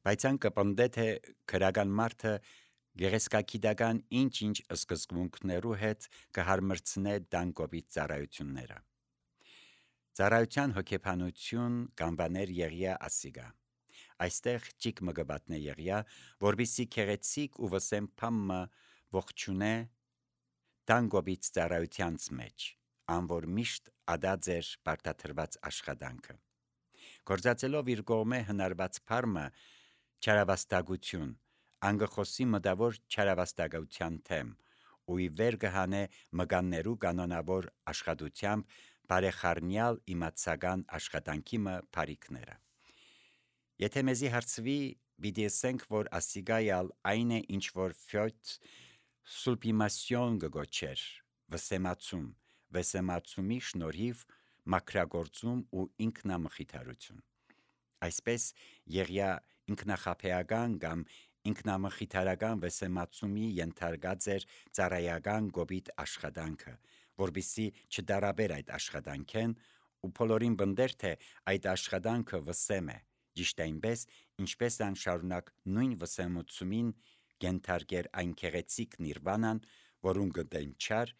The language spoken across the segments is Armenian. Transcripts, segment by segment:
Բայց ան կպնդե թե քրական մարդը գեղեցկագիտական ինչ-ինչ սկզբունքներու հետ կհարմրցնե դանկոպիտ ծառայությունները։ Ծառայության հոգեբանություն կանվաներ Եղիա ասիգա։ Այստեղ ճիկ մգբատնե Եղիա, որբիսի քեղեցիկ ու վսեմ փամը ողջունե դանկոպիտ ծառայությանց մեջ, անոր միշտ ադաձեր բարդաթրված աշխատանքը։ Գործածելով իր կողմե հնարված փարմը չարավաստագություն, անգխոսի մտավոր չարավաստագության թեմ, ու ի վեր կհանե մկաններու կանոնավոր աշխատությամբ բարեխառնյալ իմացական աշխատանքի մը բարիքները։ Եթե մեզի հարցվի, պիտի ասենք, որ ասիգայալ այն է, ինչ որ ֆյոտ սուլպիմասյոն գոչեր, վսեմացումի շնորհիվ մաքրագործում ու ինքնամխիթարություն։ Այսպես Եղիա ինքնախաբեական կամ ինքնամխիթարական վսեմացումի ենթարկած էր ծառայական գոբիտ աշխատանքը, որբիսի չդարաբեր այդ աշխատանքեն ու բոլորին բնդեր թե այդ աշխատանքը վսեմ է, ճիշտ այնպես, ինչպես ան շարունակ նույն վսեմությունին ենթարկեր այն քեղեցիկ նիրվանան, որուն գտեն չար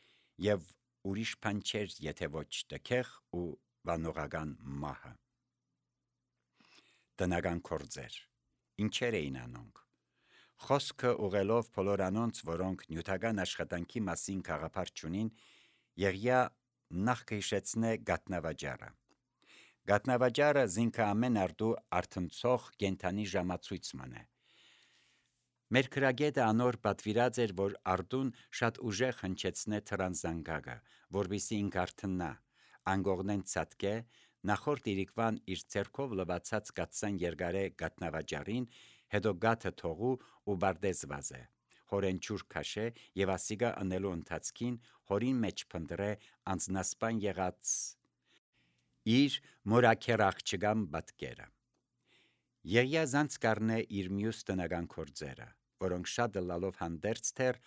եւ ուրիշ բան չէր, եթե ոչ տքեղ ու վանողական մահը։ Տնական կորձեր, ինչեր էին անոնք։ Խոսքը ուղելով բոլոր անոնց, որոնք նյութական աշխատանքի մասին գաղափար չունին, Եղիա նախ կհիշեցնե գատնավաճառը։ Գատնավաճառը զինքը ամեն արդու արթնցող կենթանի ժամացույցման է։ Մեր քրագետը անոր պատվիրած էր, որ արդուն շատ ուժեղ հնչեցնե թրանզանգագը, որբիսի ինք արթնա, անգողնեն ցածկե, նախորդ իրիկվան իր ձեռքով լվացած գացան երկարե գատնավաճառին, հետո գաթը թողու ու բարդես վազե, հորեն ջուր քաշե եւ ասիգա ընելու ընթացքին հորին մեջ փնտրե անձնասպան եղած իր մորաքեր աղջկան պատկերը։ Եղիա զանց կառնե իր մյուս տնական կորձերը, որոնք շատ լալով հանդերձ թեր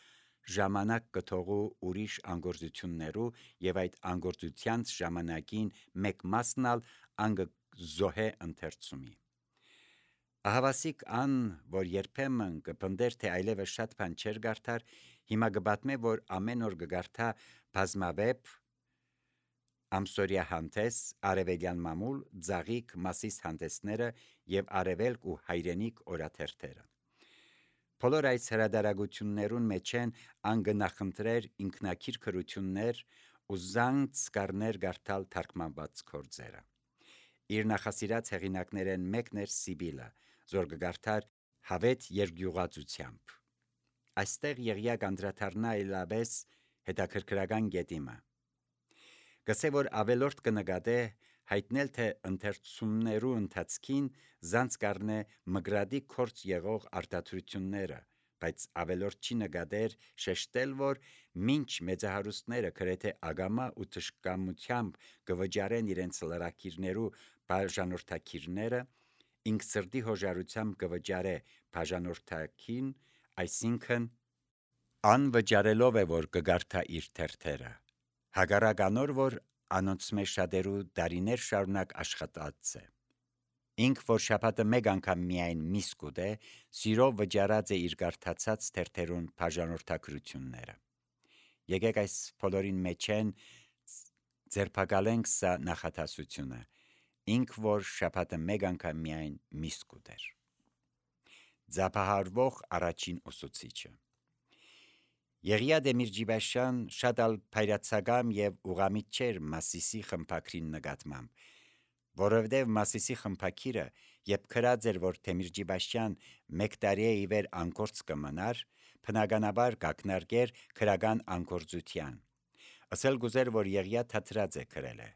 ժամանակ կթողու ուրիշ անգործություններու եւ այդ անգործությանց ժամանակին մեկ մասնալ անգ զոհե ընթերցումի։ Ահավասիկ ան, որ երբեմն կպնդեր թե այլևս շատ բան չեր գարթար, հիմա կբատմե, որ ամեն օր կգարթա բազմավեպ ամսորյա հանդես, արևելյան մամուլ, ձաղիկ մասիս հանդեսները եւ արևելք ու հայրենիք օրաթերթերը։ Բոլոր այս հրադարագություններուն մեջ են անգնախնդրեր ինքնակիր քրություններ ու զանց կառներ գարթալ թարգմանված կորձերը։ Իր նախասիրած հեղինակներեն մեկն էր Սիբիլը, որ կգարթար հավետ երկյուղածությամբ։ Այստեղ Եղիա կանդրադառնա այլապես հետաքրքրական գետիմը։ Գսե որ ավելորդ կնկատե հայտնել թե ընթերցումներու ընթացքին զանց կառնե մգրադի կորց եղող արտադրությունները, բայց ավելորդ չի նկատեր շեշտել, որ մինչ մեծահարուստները գրեթե ագամա ու թշկամությամբ կվճարեն իրենց լրակիրներու բաժանորդակիրները, ինք սրտի հոժարությամբ կվճարե բաժանորդակին, այսինքն անվճարելով է, որ կգարթա իր թերթերը, հակառակ անոր, որ անոնց մեջ շատերու դարիներ շարունակ աշխատած է։ Ինք, որ շաբաթը մեկ անգամ միայն միս կուտե, սիրով վճարած է իր գարթացած թերթերուն բաժանորդակրությունները։ Եկեք այս բոլորին մեջ են ձերբակալենք սա նախատասությունը, ինք, որ շաբաթը մեկ անգամ միայն միս կուտեր։ Ձապահարվող առաջին ուսուցիչը Եղիա Դեմիրճիբաշյան շատ ալ փայրացակամ եւ ուղամիտ չէր Մասիսի խմփակրին նկատմամբ, որովհետեւ Մասիսի խմփակիրը, երբ քրած էր, որ Դեմիրճիբաշյան մեկ տարի ի վեր անկորձ կմնար, բնականաբար կակնարկեր քրական անկորձության։ Ասել գուզեր, որ Եղիա թատրած է քրել է,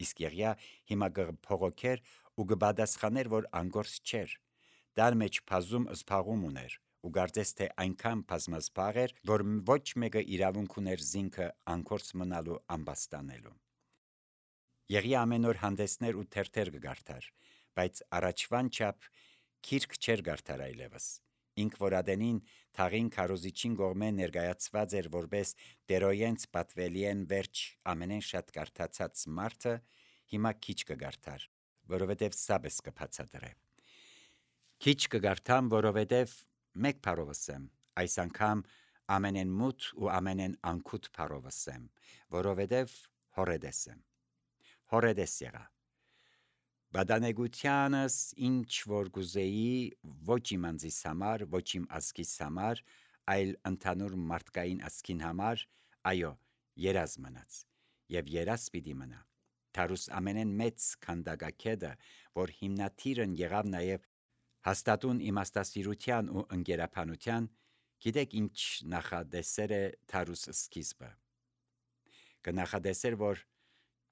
իսկ Եղիա հիմա կփողոքեր ու կպատասխաներ, որ անկորձ չէր, դար մեջ բազում զբաղում ուներ ու կարծես թե այնքան բազմազբաղ էր, որ ոչ մեկը իրավունք ուներ զինքը անկորձ մնալու ամբաստանելու։ Եղիա ամեն օր հանդեսներ ու թերթեր կգարթար, բայց առաջվան չափ քիրք չէր գարթար այլևս։ Ինք որ ադենին թաղին քարոզիչին կողմե ներկայացված էր որպես դերոյենց պատվելիեն վերջ ամենեն շատ կարդացած մարդը, հիմա քիչ կգարթար, որովհետև սաբես կբացատրե։ Քիչ կգարթամ, որովհետև մեկ փարովսեմ, այս անգամ ամենեն մութ ու ամենեն անքուտ փարովսեմ, որովհետև հորեդես եմ։ Հորեդես եղա։ Բադանեգությանս ինչ որ գուզեի ոչ իմ անձիս համար, ոչ իմ ազգիս համար, այլ ընդհանուր մարդկային ազգին համար, այո, երազ մնաց, եւ երազ պիտի մնա։ Թարուս ամենեն մեծ քանդակակետը, որ հիմնադիրն եղավ նաև հաստատուն իմաստասիրության ու ընկերապանության, գիտեք ինչ նախադեսեր է Թարուս սկիզբը։ Կնախադեսեր, որ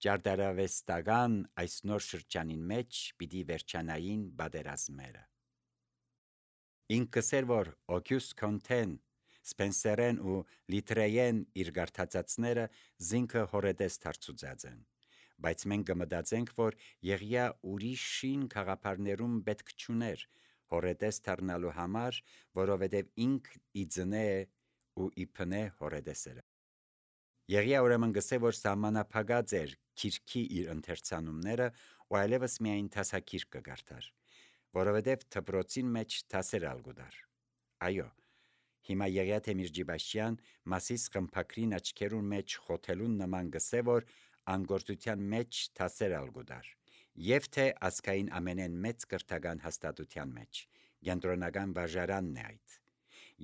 ճարտարավեստական այս նոր շրջանին մեջ պիտի վերջանային բادرազմերը։ Ինքս էր, որ Օգյուստ Կոնտեն, Սպենսերեն ու Լիտրեյեն իր գարտացածները զինքը հորեդես դարձուծած են, բայց մենք կմտածենք, որ եղյա ուրիշին խաղապարներում պետք չուներ հորեդես դառնալու համար, որովհետև ինք իձնե ու իփնե հորեդեսերը։ Եղյա ուրեմն գսե, որ սահմանափակած էր քիրքի իր ընթերցանումները ու այլևս միայն դասակիրք կգարտար, որովհետև դպրոցին մեջ դասեր ալգուդար։ Այո, հիմա Եղիա Թեմիրջիբաշյան մասիս խմփակրին աչքերուն մեջ խոթելուն նման գսե, որ անգործության մեջ դասեր ալգուդար, եւ թե ազգային ամենեն մեծ կրթական հաստատության մեջ, կենտրոնական վարժարանն է այդ։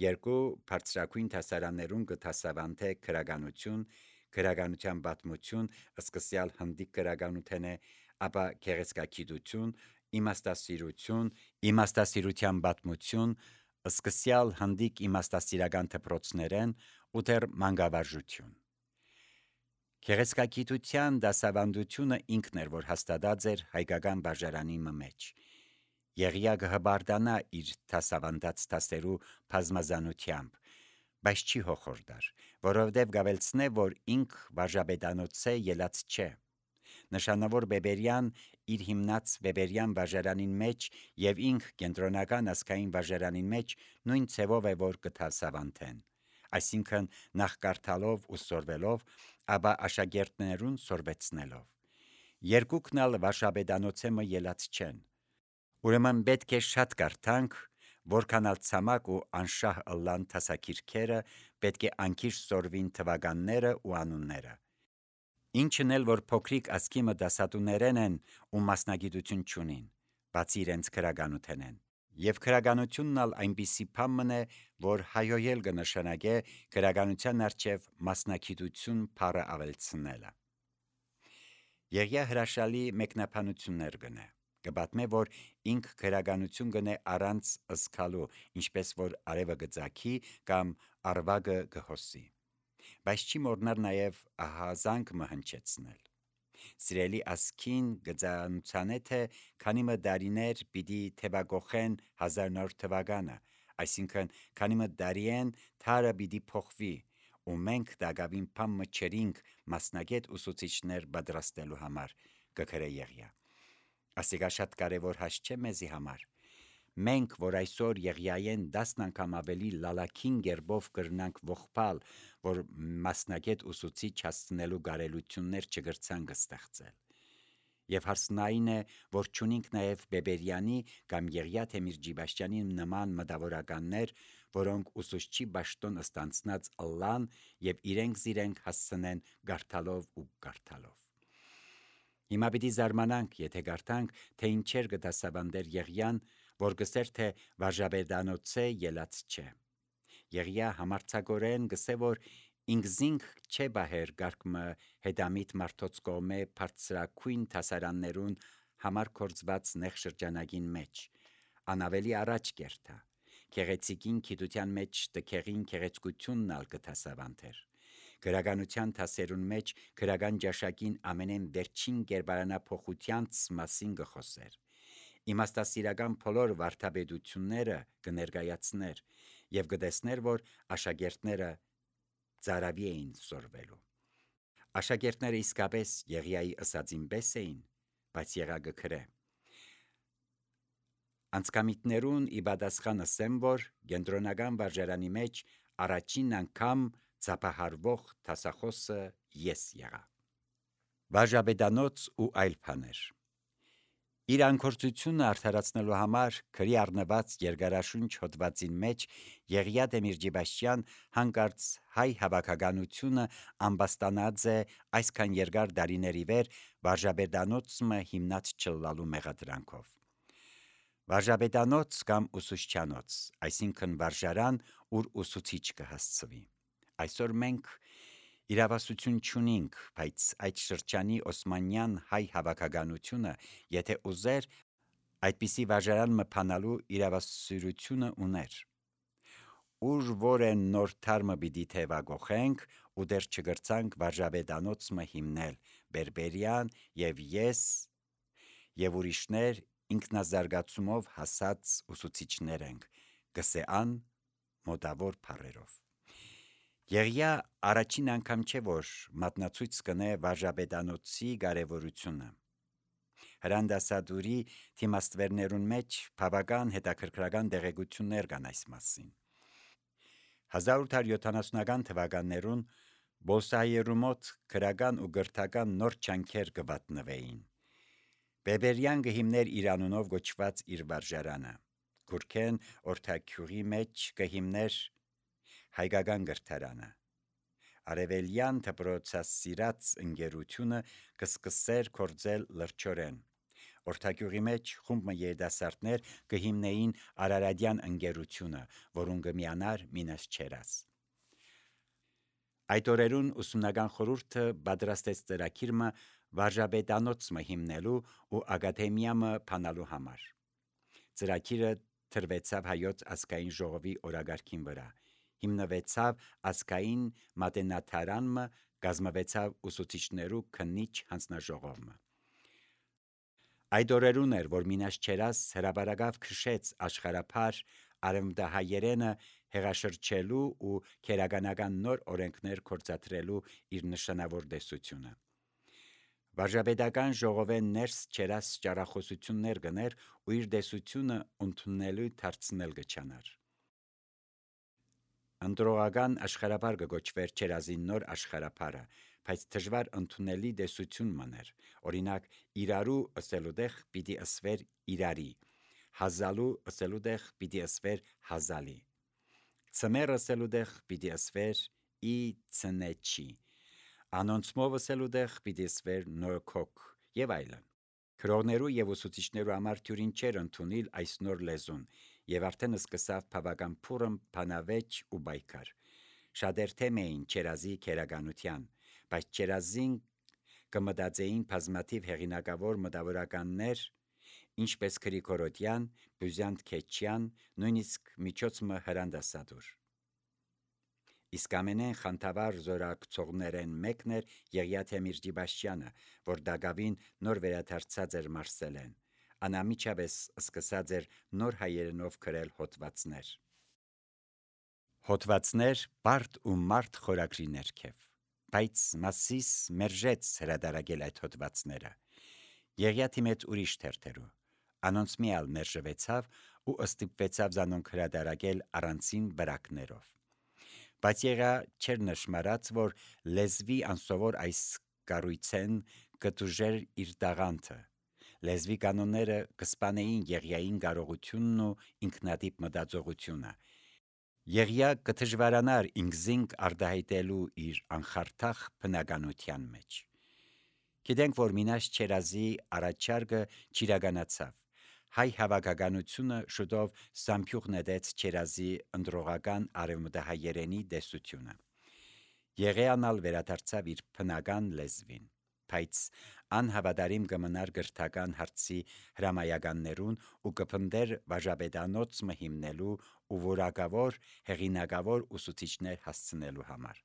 Երկու բարձրակույն դասարաններուն կդասավանդե քրագանություն, քրագանության պատմություն, սկսյալ հնդիկ քրագանութեն է, ապա գեղեցկագիտություն, իմաստասիրություն, իմաստասիրության պատմություն, սկսյալ հնդիկ իմաստասիրական դպրոցներեն ու դեռ մանկավարժություն։ Գեղեցկագիտության դասավանդությունը ինքն էր, որ հաստատած էր հայկական վարժարանի մեջ։ Եղիա կհբարդանա իր դասավանդած դասերու բազմազանությամբ, բայց չի հոխորդար, որովհետև գավելցնե, որ ինք վարժապետանոցե ելած չէ։ Նշանավոր Բեբերյան իր հիմնած Բեբերյան վարժարանին մեջ եւ ինք կենտրոնական ազգային վարժարանին մեջ նույն ցևով է, որ կդասավանդեն, այսինքն նախ կարդալով ու սորվելով, ապա աշակերտներուն սորվեցնելով։ Երկուքն ալ վարժապետանոցեմը ելած չեն։ Ուրեմն պետք է շատ կարդանք, որքանալ ցամաք ու անշահ ըլլան դասակիրքերը, պետք է անկիր սորվին թվականները ու անունները։ Ինչն էլ որ փոքրիկ ասկիմը դասատուներեն են ու մասնագիտություն չունին, բացի իրենց քրագանութենեն։ Եվ քրագանությունն ալ այնպիսի բան է, որ հայոյել կնշանակե քրագանության առջև մասնագիտություն բառը ավելցնելը։ Եղիա հրաշալի մեկնաբանություններ գնե։ Կպատմե, որ ինք քրագանություն գնե առանց ըսկալու, ինչպես որ արևը գծակի կամ արվագը գհոսի։ Բայց չի մոռնար նաև ահազանգ մհնչեցնել։ Սիրելի ասքին գծանուցանե թե քանի մը դարիներ պիտի թևագոխեն 1900 թվականը, այսինքն քանի մը դարիեն թարը պիտի փոխվի, ու մենք դակավին փամ մչերինք մասնագետ ուսուցիչներ պատրաստելու համար կգրե Եղիա։ Ասիկա շատ կարևոր հաս չէ մեզի համար։ Մենք, որ այսօր Եղիային 10 անգամ ավելի լալաքին գերբով կրնանք ողբալ, որ մասնագետ ուսուցիչ հասցնելու կարելություններ չգրցան կստեղծել։ Եվ հարցն այն է, որ չունինք նաև Բեբերյանի կամ Եղիա Թեմիրջիբաշյանի նման մտավորականներ, որոնք ուսուցչի բաշտոն ստանցնած ըլլան եւ իրենք հասցնեն գարթալով ու գարթալով։ Հիմա պիտի զարմանանք, եթե գարտանք, թե ինչեր կդասավանդեր Եղիան, որ գսեր թե վարժապետանոցե ելած չէ։ Եղիա համարձակորեն գսե, որ ինքզինք չէ բահեր գարկմը հետամիտ մարդոց կողմե բարձրակույն դասարաններուն համար կորձված նեղ շրջանագին մեջ, անավելի առաջ կերտա, գեղեցիկին գիտության մեջ տքեղին գեղեցկությունն ալ կդասավանդեր։ Գրականության դասերուն մեջ գրական ճաշակին ամենեն վերջին կերպարանափոխությանց մասին գխոսեր։ Իմաստասիրական բոլոր վարդապետությունները կներկայացներ եւ կտեսներ, որ աշակերտները ծարավի էին սորվելու։ Աշակերտները իսկապես Եղիայի ըսածին պես էին, բայց եղա գքրե։ Անցկամիտներուն ի պատասխան ասեմ, որ կենտրոնական վարժարանի մեջ առաջին անգամ ծափահարվող դասախոսը ես եղա։ Վարժապետանոց ու այլ բաներ։ Իր անկործությունը արդարացնելու համար քրի առնված երկարաշունչ հոդվածին մեջ Եղիա Դեմիրճիբաշյան հանկարծ հայ հավաքականությունը ամբաստանած է այսքան երկար դարիների վեր վարժաբեդանոցը հիմնած չլալու մեղադրանքով։ Վարժաբեդանոց կամ ուսուցչանոց, այսինքն վարժարան, ուր ուսուցիչ կհասցվի։ Այսօր մենք իրավասություն չունենք, բայց այդ շրջանի օսմանյան հայ հավաքականությունը, եթե ուզեր, այդպիսի վարժարան մփանալու իրավասիրությունը ուներ։ Ուր որ են նոր թարմը պիտի թևագոխենք ու դեռ չգրցանք վարժաբեդանոցը հիմնել, Բերբերյան եւ ես եւ ուրիշներ ինքնազարգացումով հասած ուսուցիչներ ենք, գսեան մոտավոր փառերով։ Եղիա առաջին անգամ չէ, որ մատնացույց կնե վարժաբեդանոցի կարևորությունը։ Հրանդասադուրի թիմաստվերներուն մեջ բավական հետաքրքրական տեղեկություններ կան այս մասին։ 1870-ական թվականներուն Բոլսահայերու մոտ քրական ու գրթական նոր չանքեր կվատնվեին։ Բերբերյան կհիմներ իր անունով գոչված իր վարժարանը։ Գուրքեն օրթակյուղի մեջ կհիմներ հայկական գրթարանը։ Արևելյան դպրոցասիրած ընկերությունը կսկսեր կործել լրջորեն։ Օրթակյուղի մեջ խումբը երիտասարդներ կհիմնեին Արարատյան ընկերությունը, որուն կմիանար Մինաս Չերաս։ Այդ օրերուն ուսումնական խորհուրդը պատրաստեց ծրագիրը վարժաբեդանոցը հիմնելու ու ակադեմիամը փանալու համար։ Ծրագիրը թրվեցավ հայոց ազգային ժողովի օրագարկին վրա, հիմնվեցավ ազգային մատենադարանը, կազմվեցավ ուսուցիչներու քննիչ հանձնաժողովը։ Այդ օրերուն էր, որ Մինաս Չերաս հրապարակավ քշեց աշխարհափար արևմտահայերենը հեղաշրջելու ու քերականական նոր օրենքներ կործադրելու իր նշանավոր տեսությունը։ Վարժաբեդական ժողովեն ներս Չերաս ճառախոսություններ գներ ու իր տեսությունը ընդունելու դարձնել գչանար։ Ընտրողական աշխարհափար կգոչվեր Չերազի նոր աշխարհափարը, բայց դժվար ընդունելի տեսություն մներ։ Օրինակ, իրարու ըսելուտեղ պիտի ըսվեր իրարի, հազալու ըսելուտեղ պիտի ըսվեր հազալի, ցմեր ըսելուտեղ պիտի ըսվեր ի ցնեչի, անոնցմով ըսելուտեղ պիտի ըսվեր նոյքոք եւ այլն։ Քրողներու եւ ուսուցիչներու համար թյուրին չէր ընդունել այս նոր լեզուն, եւ արդեն սկսավ բավական փուրըն փանավեճ ու բայկար։ Շատեր թեմ էին Չերազի քերականության, բայց Չերազին կմտածեին բազմաթիվ հեղինակավոր մտավորականներ, ինչպես Գրիգորոդյան, Բյուզյանտ Քեչյան, նույնիսկ միջոցը Հրանդասադուր։ Իսկ ամենեն խանդավառ զորակցողներեն մեկն էր Եղիա Դեմիրճիբաշյանը, որ դակավին նոր վերադարձած էր Մարսելեն։ Անամիջապես սկսած էր նոր հայերենով գրել հոդվածներ։ Հոդվածներ բարդ ու մարդ խորագրի ներքև, բայց Մասիս մերժեց հրադարագել այդ հոդվածները։ Եղիա թիմեց ուրիշ թերթերու, անոնց միալ մերժվեցավ ու ըստիպվեցավ զանոնք հրադարագել առանցին վրակներով։ Բայց Եղիա չէր նշմարած, որ լեզվի անսովոր այս կառույցեն կտուժեր իր տաղանդը։ Լեզվի կանոնները կսպանեին Եղիային կարողությունն ու ինքնատիպ մտածողությունը։ Եղիա կդժվարանար ինքզինք արտահայտելու իր անխարթախ բնականության մեջ։ Գիտենք, որ Մինաս Չերազի առաջարկը չիրականացավ։ Հայ հավաքականությունը շուտով սամբյուղ նետեց Չերազի ընտրողական արևմտահայերենի տեսությունը։ Եղեանալ վերադարձավ իր բնական լեզվին, բայց անհավատարիմ կմնար գրթական հարցի հրամայականներուն ու կփնդեր վարժաբեդանոցը հիմնելու ու որակավոր հեղինակավոր ուսուցիչներ հասցնելու համար։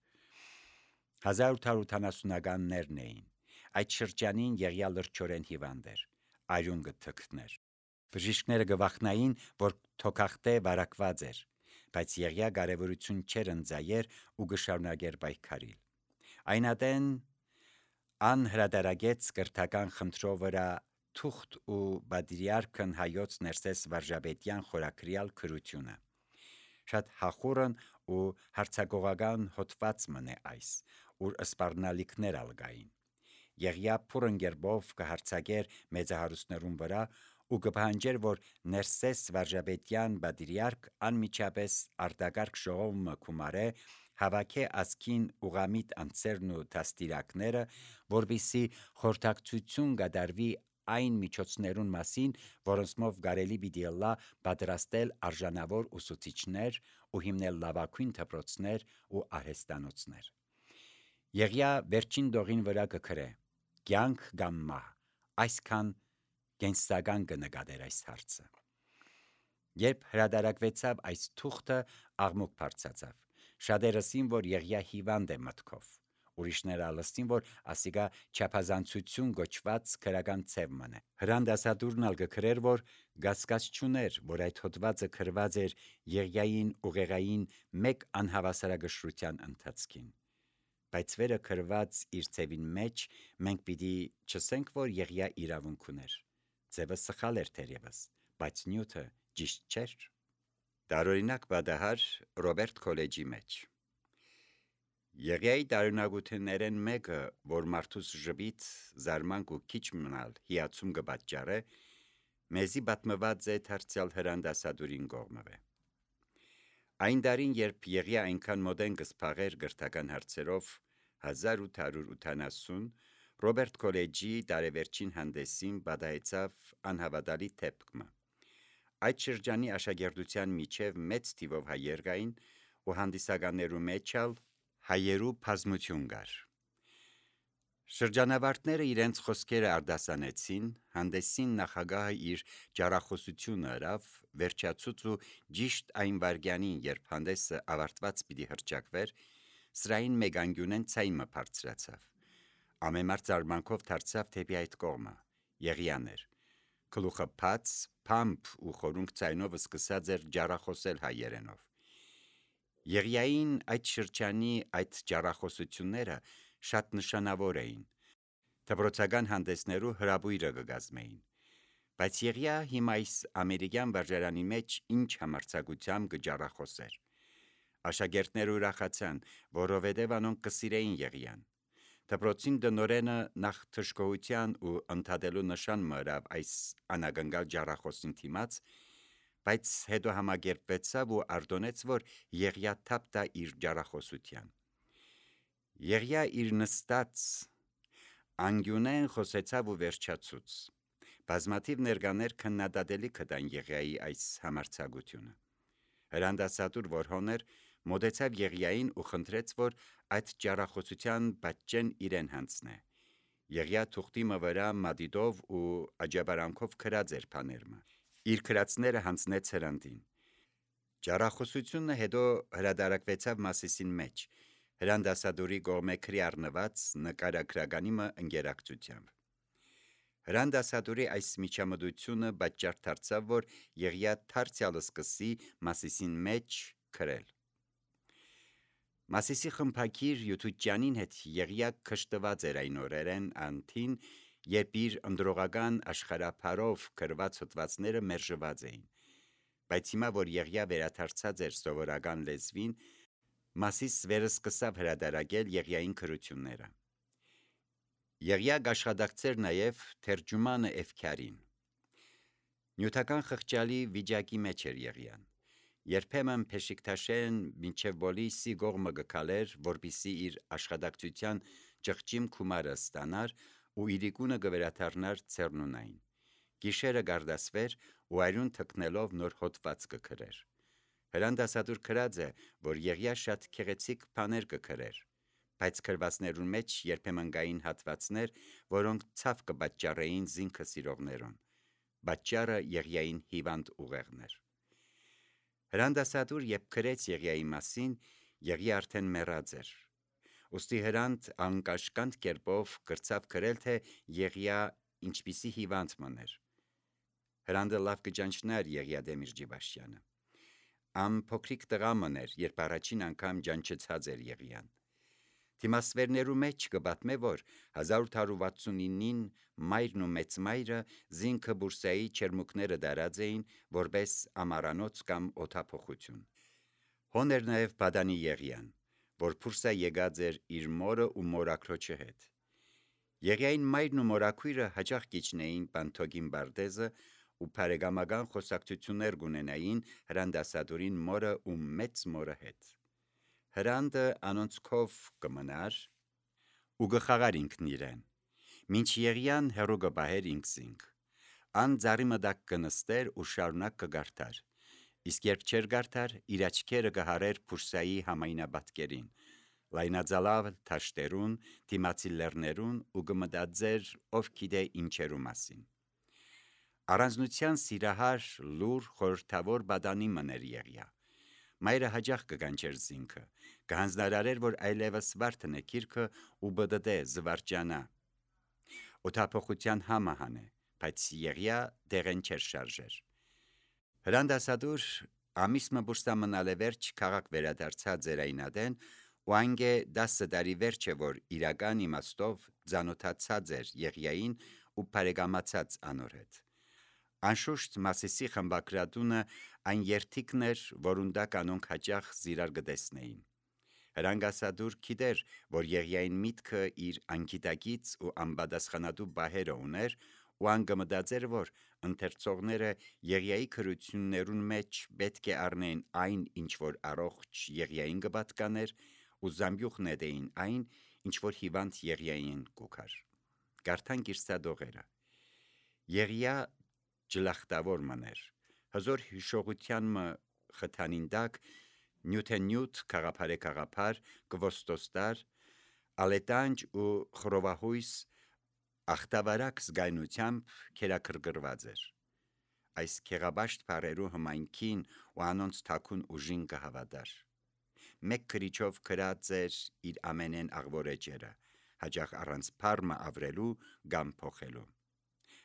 1870-ականներն էին։ Այդ շրջանին Եղիա լրջորեն հիվանդ էր, արյուն կթքներ։ Բժիշկները գվախնային, որ թոքախտե վարակված էր, բայց Եղիա կարևորություն չէր ընձայեր ու գշարունակեր պայքարիլ։ Այնատեն անհրադարագեց կրթական խնդրով վրա թուղթ ու բադրիարքն հայոց ներսես վարժաբեդյան խորակրյալ քրությունը։ Շատ հախուրն ու հարցակողական հոդված մնե այս, ուր սպառնալիքներ ալգային։ Եղիա փուրընկերբով կհարցակեր մեծահարուստներուն վրա ու կպահանջեր, որ Ներսես Վարժապետյան բادرիարք անմիջապես արտակարգ ժողովը կումարե հավաքե ասքին ուղամիտ անձերն ու դաստիարակները, որպիսի խորհրդակցություն կդարվի այն միջոցներուն մասին, որոնցմով կարելի պիտի ըլլա պատրաստել արժանավոր ուսուցիչներ ու հիմնել լավագույն դպրոցներ ու արհեստանոցներ։ Եղիա վերջին դողին վրա կգրե. կյանք կամ մահ, այսքան կենսական կնկատեր այս հարցը։ Երբ հրադարակվեցավ այս թուղթը, աղմուկ բարձրացավ։ Շատերըսին, որ Եղիա հիվանդ է մտքով, ուրիշները ալստին, որ ասիկա չափազանցություն գոչված քրական ցև մնե։ Հրանդասատուրն ալ կգրեր, որ գասկած չուներ, որ այդ հոդվածը գրված էր Եղիային ուղեղային մեկ անհավասարակշռության ընթացքին։ Բայց վերը գրված իր ցևին մեջ մենք պիտի չսենք, որ Եղիա իրավունք ուներ։ Ցևը սխալ էր թերևս, բայց նյութը ճիշտ չէր։ Տարօրինակ պատահար Ռոբերտ Քոլեջի մեջ։ Եղիայի տարօրինակություններն մեկը, որ մարդուս ժպիտ, զարմանք ու քիչ մնալ հիացում կպատճառե, մեզի պատմված է դարձյալ հրանդասատուրին կողմը։ Այն դարին, երբ Եղիա այնքան մոդեն կսփաղեր գրթական հարցերով 1880, Ռոբերտ Քոլեջի տարեվերջին հանդեսին պատահեցավ անհավատալի դեպքը։ Այդ շրջանի աշակերտության միջև մեծ թիվով հայեր կային ու հանդիսականներու մեջ ալ հայերու բազմություն կար։ Շրջանավարտները իրենց խոսքերը արտասանեցին, հանդեսին նախագահը իր ջարախոսությունը հրավ, վերջացուց ու ճիշտ այն վարգյանին, երբ հանդեսը ավարտված պիտի հրճակվեր, սրային մեգանգյունեն ցայմը բարձրացավ։ Ամեմար զարմանքով դարձավ դեպի այդ կողմը։ Եղիան էր։ Գլուխը բաց, փամփ ու խորունկ ցայնով սկսած էր ջարախոսել հայերենով։ Եղիային այդ շրջանի այդ ջարախոսությունները շատ նշանավոր էին։ Դպրոցական հանդեսներու հրաբույրը կգազմեին։ Բայց Եղիա հիմա այս ամերիկյան վարժարանի մեջ ինչ համարձակությամբ կջարախոսեր։ Աշակերտները ուրախացան, որովհետև անոնք կսիրեին Եղիան։ Դպրոցին դնորենը նախ թշկողության ու ընդհատելու նշան մըրավ այս անագնգալ ջարախոսին թիմաց, բայց հետո համագերպվեցավ ու արտոնեց, որ Եղիա թափ տա իր ջարախոսության։ Եղիա իր նստած անգյունեն խոսեցավ ու վերջացուց։ Բազմաթիվ ներկաներ քննադատելի կտան Եղիայի այս համարձակությունը։ Հրանդասատուր, որ հոներ, մոտեցավ Եղիային ու խնդրեց, որ այդ ջարախոսության պատճեն իրեն հանձնե։ Եղիա թուղթի վրա մատիտով ու աջաբարանքով գրած էր բաները։ Իր գրածները հանձնեց հրանդին։ Ջարախոսությունը հետո հրադարակվեցավ Մասիսին մեջ, հրանդասատուրի կողմէ քրի առնված նկարագրականի ընկերակցությամբ։ Հրանդասատուրի այս միջամտությունը պատճառ դարձավ, որ Եղիա դարձյալ սկսի Մասիսին մեջ գրել։ Մասիսի խմբագիր Յութուջյանին հետ Եղիա քշտված էր այն օրերեն անթին, երբ իր ընդրողական աշխարհափարով գրված հոդվածները մերժված էին։ Բայց հիմա, որ Եղիա վերադարձած էր սովորական լեզվին, Մասիս վերսկսավ հրադարակել Եղիային գրությունները։ Եղիա աշխատակցեր նաև թերջումանը Էվքարին։ Նյութական խղճալի վիճակի մեջ էր Եղիան։ Երբեմն Փեշիկտաշեն մինչև Բոլիսի կողմը գքալեր, որպիսի իր աշխատակցության ճղճիմ քումարը ստանար ու իրիկունը կվերադառնար ցերնունային։ Գիշերը գարդասվեր ու այրուն թքնելով նոր հոդված կգրեր։ Հրանդասատուր գրած է, որ Եղիա շատ քեղեցիկ բաներ կգրեր, բայց գրվածներուն մեջ երբեմն կային հատվածներ, որոնք ցավ կպատճառեին զինքը սիրողներուն։ Պատճառը Եղիային հիվանդ ուղեղն էր։ Հրանդասատուր, երբ գրեց Եղիայի մասին, Եղիա արդեն մեռած էր։ Ուստի հրանդ անկաշկանդ կերպով գրծավ գրել, թե Եղիա ինչպիսի հիվանդ մներ։ Հրանդը լավ կճանչներ Եղիա Դեմիրճիբաշյանը։ Փոքրիկ տղա մներ, երբ առաջին անգամ ջանչեցած էր Եղիան։ Դիմասվերներու մեջ կպատմե, որ 1869-ին մայրն ու մեծմայրը զինքը Բուրսայի չերմուկները դարած էին որպես ամառանոց կամ օդափոխություն։ Հոներ նաև Բադանի Եղիան, որ Բուրսա եկած էր իր մորը ու մորաքրոջը հետ։ Եղիային մայրն ու մորաքույրը հաճախ կիջնեին Պանթոգին Բարդեզը ու բարեկամական խոսակցություններ գունենային Հրանդասադորին մորը ու մեծ մորը հետ։ Հրանդը անոնցքով կմնար ու գխաղար ինքն իրեն, մինչ Եղիան հերո գբահեր ինքսինք, ան ձարի մդակ կնստեր ու շարունակ կգարթար, իսկ երբ չեր գարթար, իր աչքերը կհարեր Փուրսայի համայնաբատկերին, լայնածալավ թաշտերուն, դիմացի լեռներուն ու կմտածեր ով գիտե ինչերու մասին։ Առանձնության սիրահար լուր խորհրդավոր բադանի մներ Եղիա։ Մայրը հաճախ կգանչեր զինքը, կհանձնարարեր, որ այլևս վարդն է քիրքը ու բդդե զվարճանա։ Օթափողության համահան է, բայց Եղիա դեղեն չեր շարժեր։ Հրանդասադուր ամիսմը բուրսամնալ է վերջ քաղաք վերադարձած ձերայնադեն ու անգե 10 տարի վերջ է, որ իրական իմաստով ձանոթացած էր Եղիային ու բարեկամացած անոր հետ։ Անշուշտ Մասիսի խմբակրատունը այն երթիկն էր, որուն դա կանոնք հաճախ զիրար գտեսնեին։ Հրանգասադուր գիտեր, որ Եղիային միտքը իր անգիտակից ու անպատասխանատու բահերը ուներ ու անգմտածեր, որ ընթերցողները Եղիայի քրություններուն մեջ պետք է առնեն այն, ինչ որ առողջ Եղիային կպատկաներ ու զամբյուղ նետեին այն, ինչ որ հիվանդ Եղիային կուքար։ Գարթան գիրսադողերը։ Եղիա ջլախտավոր մներ, հզոր հիշողության մը խթանինդակ, նյութենյութ քաղափար կվոստոստար, ալետանջ ու խրովահույս ախտավարակ զգայնությամբ քերակրկրված էր։ Այս քեղաբաշտ բարերու հմայքին ու անոնց թաքուն ուժին կհավատար։ Մեկ քրիչով գրած էր իր ամենեն աղվորեջերը, հաճախ առանց փարմը ավրելու կամ փոխելու։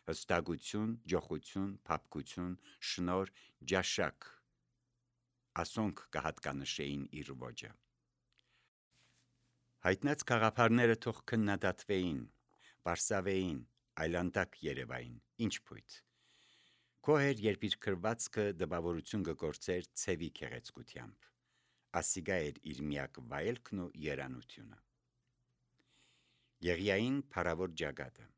Հստակություն, ջոխություն, փափկություն, շնոր, ջաշակ ասոնք կհատկանշեին իր ոճը։ Հայտնած քաղաքարները թող քննադատվեին, պարսավեին, այլանդակ երևային, ինչ փույթ։ Քոհեր, երբ իր քրվածքը դպավորություն կգործեր ցևի քեղեցկությամբ, ասիգա էր իր միակ վայելքն ու երանությունը։ Եղիային փարավոր ջագատը։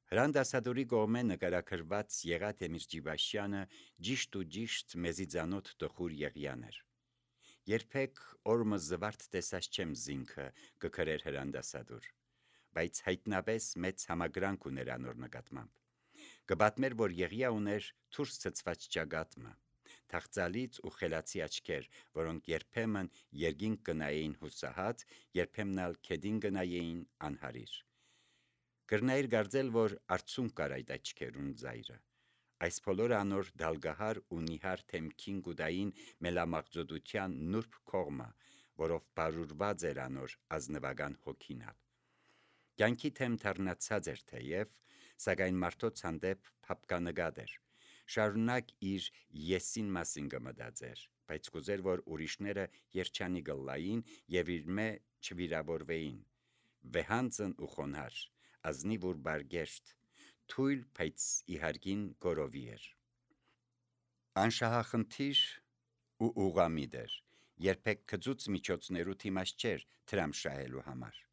Հրանդասադորի կողմէ նկարագրված Եղատ Էմիրճիբաշյանը ճիշտ ու ճիշտ մեզի ծանոթ տխուր Եղիան էր։ Երբեք օրմը զվարթ տեսած չեմ զինքը կգրեր Հրանդասադոր, բայց հայտնապես մեծ համագրանք ուներ անոր նկատմամբ։ Կպատմեր, որ Եղիա ուներ թուրս ցցված ջագատմը, թախծալից ու խելացի աչքեր, որոնք երբեմն երկինք կնայեին հուսահատ, երբեմն ալ քեդին կնայեին անհարիր։ Կրնայր գարձել, որ արցունք կար այդ աչքերուն ծայրը։ Այս բոլորը անոր դալգահար ու նիհար թեմքին գուդային մելամաղձոտության նուրբ կողմը, որով բարուրված էր անոր ազնվական հոգինալ։ Կյանքի թեմ թարնացած էր թեև, սակայն մարդոց հանդեպ փափկանգատ էր։ Շարունակ իր եսին մասին կմտածեր, բայց կուզեր, որ ուրիշները երջանի գլային եւ իր մե չվիրավորվեին։ Վեհանցն ու խոնար, ազնիվ ու բարգեշտ, թույլ, բայց իհարգին գորովի էր։ Անշահախնդիր ու ուղամիտ էր, երբեք գծուց միջոցներու թիմած չէր թրամ շահելու համար։